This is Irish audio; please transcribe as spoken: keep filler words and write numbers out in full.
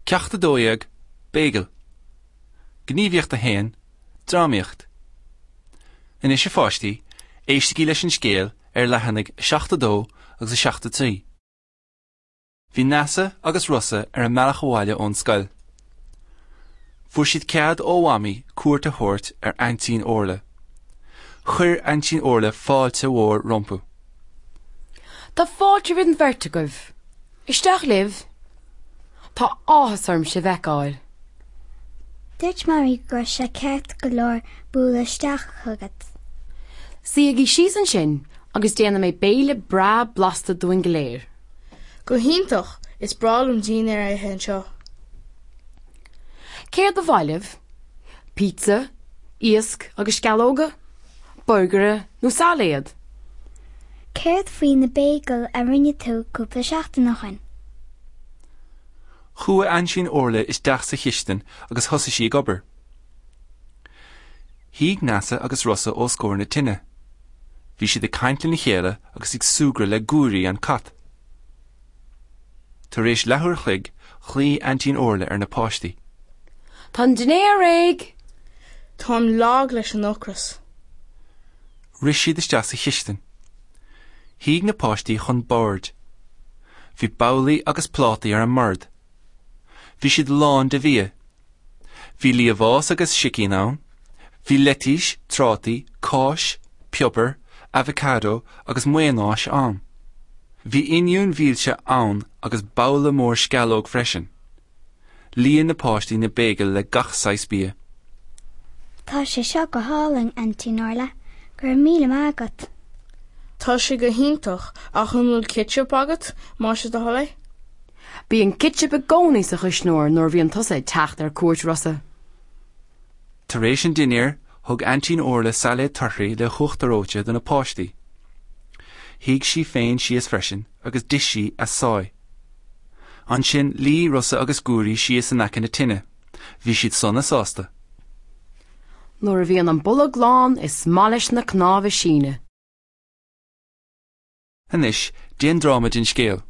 Ceacht a dó dhéag, Béigil. Gníomhaíocht a haon, Drámaíocht. Anois a pháistí, éistigí leis an scéal ar leathanaigh seachtó a dó agus a seachtó trí. Bhí Neasa agus Rossa ar a mbealach abhaile ón scoil. Fuair siad cead ó Mhamaí cuairt a thabhairt ar Aintín Orla. Chuir Aintín Orla fáilte mhór rompu. Tá fáilte roimh an bheirt agaibh. Isteach libh. Tá áthas orm sibh a fheiceáil. Dúirt Mamaí go raibh sé ceart go leor bualadh isteach chugat. Suígí síos ansin agus déanfaidh mé béile breá blasta dúinn go léir. Go hiontach is breá liom dinnéar a ithe anseo. Céard ba mhaith libh? Pizza, iasc agus sceallóga, burgaire nó sailéad. Céard faoi na béigil a rinne tú cúpla seachtain ó shin? Chuaigh Aintín Orla isteach sa chistin agus thosaigh sí ag obair. Shuigh Neasa agus Rossa os comhair na tine. Bhí siad ag caint lena chéile agus ag súgradh le Guairí an cat. Tar éis leathuair an chloig ghlaoigh Aintín Orla ar na páistí. Tá an dinnéar réidh! Táim lag leis an ocras. Rith siad isteach sa chistin. Shuigh na páistí chun boird. Bhí babhlaí agus plátaí ar an mbord. Bhí siad lán de bhia. Bhí liamhás agus sicín ann, Bhí leitís, trátaí, cáis, piobar, avocado agus maonáis ann. Bhí oinniúin mhilse ann agus babhla mór sceallóg freisin. Líon na páistí na béigil le gach saghas bia. Tá sé seo go hálainn Aintín Orla, go raibh míle maith agat. Tá sé go hiontach ach an bhfuil ketchup agat más é do thoil é? Bíonn ketchup i gcónaí sa chuisneoir nuair a bhíonn tusa ag teacht ar cuairt Rossa. Tar éis an dinnéir thug Aintín Orla sailéad torthaí le huachtar reoite do na páistí. Shuigh sí féin síos freisin agus d'ith sí a sáith. Ansin luigh Rossa agus Guairí síos in aice na tine. Bhí siad sona sásta. Nuair a bhíonn an bolg lán is maith leis na cnámha síneadh. Anois déan dráma den scéal.